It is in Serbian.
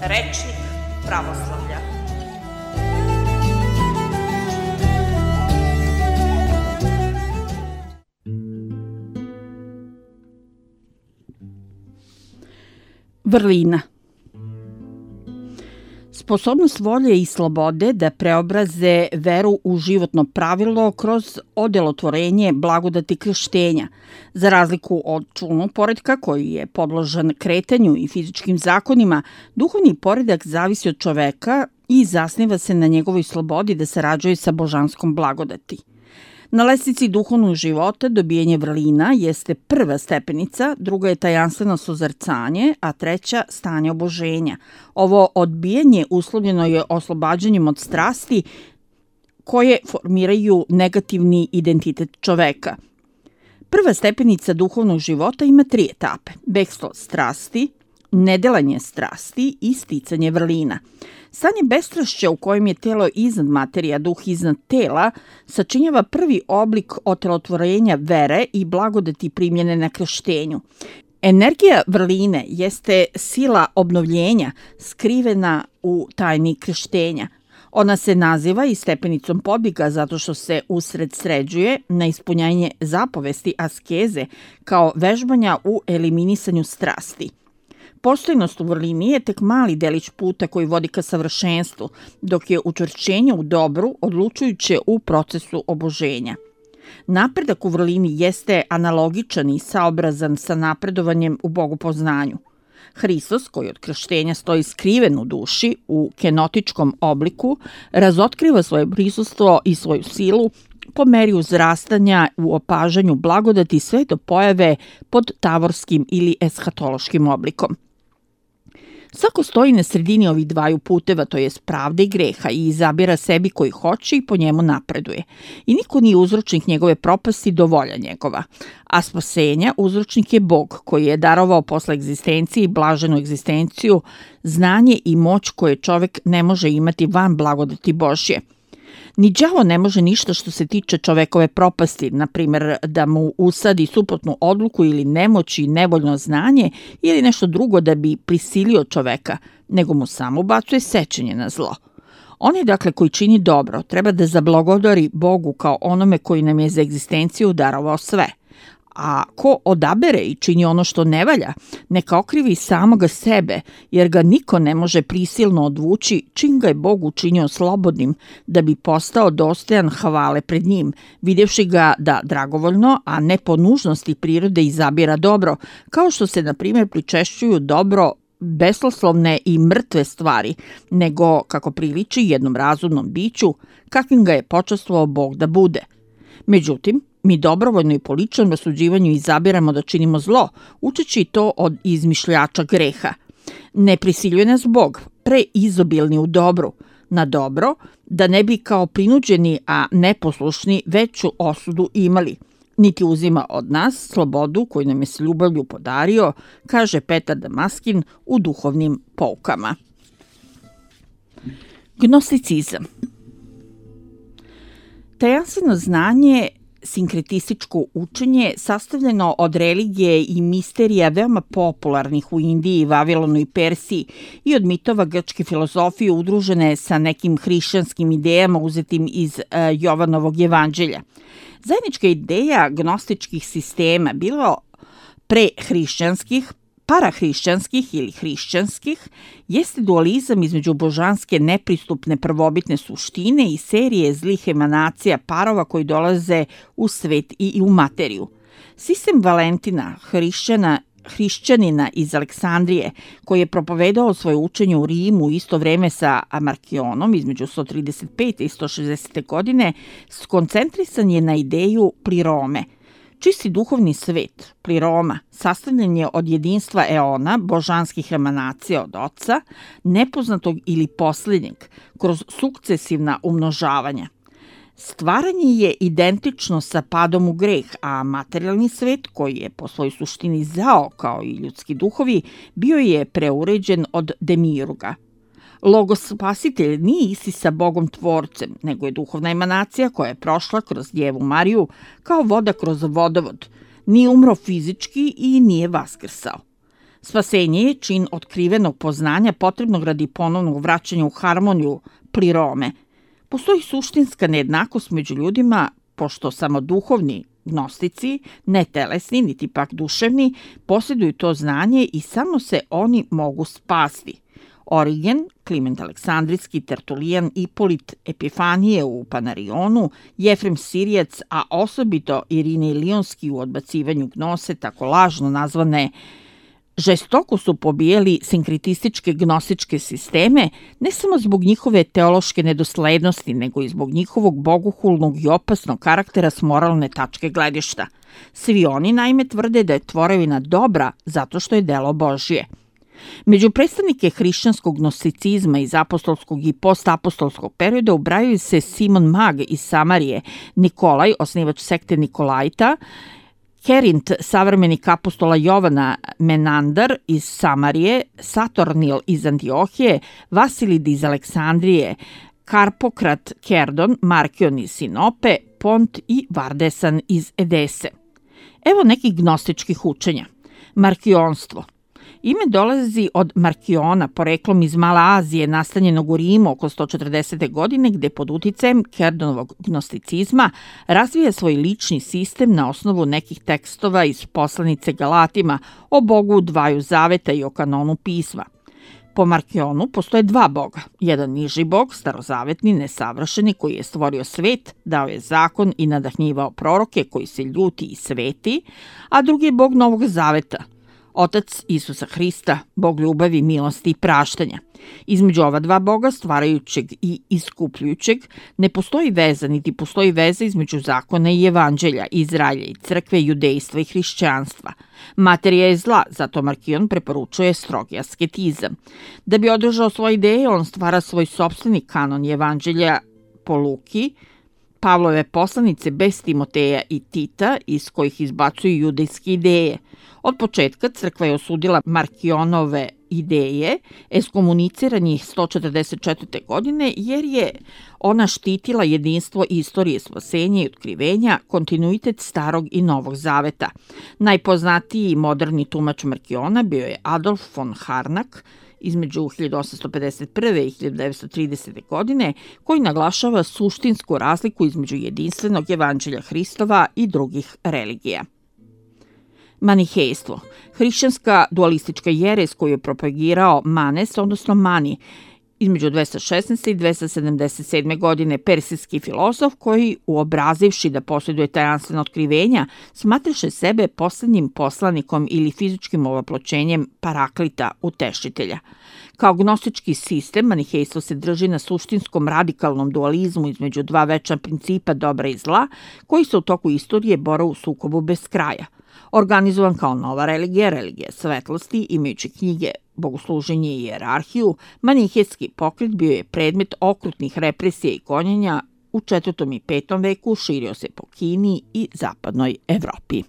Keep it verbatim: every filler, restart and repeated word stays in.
Rečnik pravoslavlja. Vrlina. Sposobnost volje i slobode da preobraze veru u životno pravilo kroz odelotvorenje blagodati krštenja, za razliku od čulnog poretka koji je podložan kretanju i fizičkim zakonima, duhovni poredak zavisi od čoveka i zasniva se na njegovoj slobodi da sarađuje sa božanskom blagodati. Na lestvici duhovnog života dobijanje vrlina jeste prva stepenica, druga je tajanstveno sozrcanje, a treća stanje oboženja. Ovo odbijanje uslovljeno je oslobađanjem od strasti koje formiraju negativni identitet čoveka. Prva stepenica duhovnog života ima tri etape: bekstvo strasti, nedelanje strasti i sticanje vrlina. Stanje bestrašća u kojem je telo iznad materija, duh iznad tela, sačinjava prvi oblik otelotvorenja vere i blagodati primljene na krštenju. Energija vrline jeste sila obnovljenja skrivena u tajni krštenja. Ona se naziva i stepenicom podviga zato što se usred sređuje na ispunjanje zapovesti askeze kao vežbanja u eliminisanju strasti. Postojnost u vrlini je tek mali delić puta koji vodi ka savršenstvu, dok je učvršćenje u dobru odlučujuće u procesu oboženja. Napredak u vrlini jeste analogičan i saobrazan sa napredovanjem u bogopoznanju. Hristos, koji od krštenja stoji skriven u duši, u kenotičkom obliku, razotkriva svoje prisustvo i svoju silu po meri uzrastanja u opažanju blagodati sve do pojave pod tavorskim ili eshatološkim oblikom. Svako stoji na sredini ovih dvaju puteva, to jest pravde i greha, i izabira sebi koji hoće i po njemu napreduje. I niko nije uzročnik njegove propasti do volja njegova. A spasenja uzročnik je Bog, koji je darovao posle egzistencije i blaženu egzistenciju znanje i moć koje čovek ne može imati van blagodati Božje. Ni đavo ne može ništa što se tiče čovekove propasti, na primjer da mu usadi suprotnu odluku ili nemoć i nevoljno znanje ili nešto drugo da bi prisilio čoveka, nego mu samo ubacuje sećanje na zlo. Onaj, dakle, koji čini dobro, treba da zablagodari Bogu kao onome koji nam je za egzistenciju darovao sve. A ko odabere i čini ono što ne valja, neka okrivi samoga sebe, jer ga niko ne može prisilno odvući čim ga je Bog učinio slobodnim, da bi postao dostojan hvale pred njim, vidjevši ga da dragovoljno, a ne po nužnosti prirode izabira dobro, kao što se, na primjer, pričešćuju dobro besposlovne i mrtve stvari, nego kako priliči jednom razumnom biću, kakvim ga je počastvovao Bog da bude. Međutim, mi dobrovoljno i po ličnom rasuđivanju izabiramo da činimo zlo, učeći to od izmišljača greha. Ne prisiljuje nas Bog, preizobilni u dobru, na dobro, da ne bi kao prinuđeni, a neposlušni veću osudu imali. Niti uzima od nas slobodu koju nam je s ljubavlju podario, kaže Petar Damaskin u duhovnim poukama. Gnosticizam. Tajanstveno znanje, sinkretističko učenje, sastavljeno od religije i misterija veoma popularnih u Indiji, Vavilonu i Persiji i od mitova grčke filozofije udružene sa nekim hrišćanskim idejama uzetim iz uh, Jovanovog evanđelja. Zajednička ideja gnostičkih sistema, bilo prehrišćanskih, parahrišćanskih ili hrišćanskih, jeste dualizam između božanske nepristupne prvobitne suštine i serije zlih emanacija parova koji dolaze u svet i u materiju. Sistem Valentina, hrišćana, hrišćanina iz Aleksandrije, koji je propovedao svoje učenje u Rimu u isto vreme sa Markionom između sto trideset pete i sto šezdesete godine, skoncentrisan je na ideju plirome. Čisti duhovni svet, pliroma, sastavljen je od jedinstva eona, božanskih emanacija od oca, nepoznatog ili posljednjeg, kroz sukcesivna umnožavanja. Stvaranje je identično sa padom u greh, a materijalni svet, koji je po svojoj suštini zao kao i ljudski duhovi, bio je preuređen od demiurga. Logos spasitelj nije isti sa Bogom tvorcem, nego je duhovna emanacija koja je prošla kroz Djevu Mariju kao voda kroz vodovod. Nije umro fizički i nije vaskrsao. Spasenje je čin otkrivenog poznanja potrebnog radi ponovnog vraćanja u harmoniju prirome. Postoji suštinska nejednakost među ljudima, pošto samo duhovni gnostici, ne telesni, niti pak duševni, posjeduju to znanje i samo se oni mogu spasti. Origen, Kliment Aleksandrijski, Tertulijan, Ipolit, Epifanije u Panarionu, Jefrem Sirijac, a osobito Irinej Lionski u odbacivanju gnose, tako lažno nazvane, žestoko su pobijeli sinkritističke gnostičke sisteme, ne samo zbog njihove teološke nedoslednosti, nego i zbog njihovog bogohulnog i opasnog karaktera s moralne tačke gledišta. Svi oni naime tvrde da je tvorevina dobra zato što je delo Božje. Među predstavnike hrišćanskog gnosticizma iz apostolskog i postapostolskog perioda ubrajaju se Simon Mag iz Samarije, Nikolaj, osnivač sekte Nikolajta, Kerint, savremenik apostola Jovana Menandar iz Samarije, Saturnil iz Antiohije, Vasilid iz Aleksandrije, Karpokrat Kerdon, Markion iz Sinope, Pont i Vardesan iz Edese. Evo nekih gnostičkih učenja. Markionstvo. Ime dolazi od Markiona, poreklom iz Male Azije, nastanjenog u Rimu oko sto četrdesete godine, gde pod uticajem Kerdonovog gnosticizma razvija svoj lični sistem na osnovu nekih tekstova iz poslanice Galatima o Bogu dvaju zaveta i o kanonu pisma. Po Markionu postoje dva boga. Jedan niži bog, starozavetni, nesavršeni, koji je stvorio svet, dao je zakon i nadahnjivao proroke koji se ljuti i sveti, a drugi je bog Novog zaveta, Otac Isusa Hrista, Bog ljubavi, milosti i praštanja. Između ova dva boga, stvarajućeg i iskupljujućeg, ne postoji veza, niti postoji veza između zakona i evanđelja, Izraelja i crkve, judejstva i hrišćanstva. Materija je zla, zato Markion preporučuje strogi asketizam. Da bi održao svoje ideje, on stvara svoj sopstveni kanon evanđelja po Luki, Pavlove poslanice bez Timoteja i Tita, iz kojih izbacuju judejske ideje. Od početka crkva je osudila Markionove ideje, ekskomunicira njih sto četrdeset četvrte. godine, jer je ona štitila jedinstvo istorije spasenja i otkrivenja, kontinuitet starog i novog zaveta. Najpoznatiji i moderni tumač Markiona bio je Adolf von Harnack, između hiljadu osamsto pedeset prve. i hiljadu devetsto tridesete. godine, koji naglašava suštinsku razliku između jedinstvenog evanđelja Hristova i drugih religija. Manihejstvo. Hrišćanska dualistička jeres koju je propagirao Manes, odnosno Mani, između dvesta šesnaeste. i dvesta sedamdeset sedme. godine, persijski filozof koji, uobrazivši da posjeduje tajanstvena otkrivenja, smatraše sebe poslednjim poslanikom ili fizičkim ovoploćenjem Paraklita, utešitelja. Kao gnostički sistem, manihejstvo se drži na suštinskom radikalnom dualizmu između dva večna principa dobra i zla, koji se u toku istorije bore u sukobu bez kraja. Organizovan kao nova religija, religija svetlosti, imajući knjige, bogosluženje i hijerarhiju, manihejski pokret bio je predmet okrutnih represija i gonjenja u četvrtom i petom veku, širio se po Kini i zapadnoj Evropi.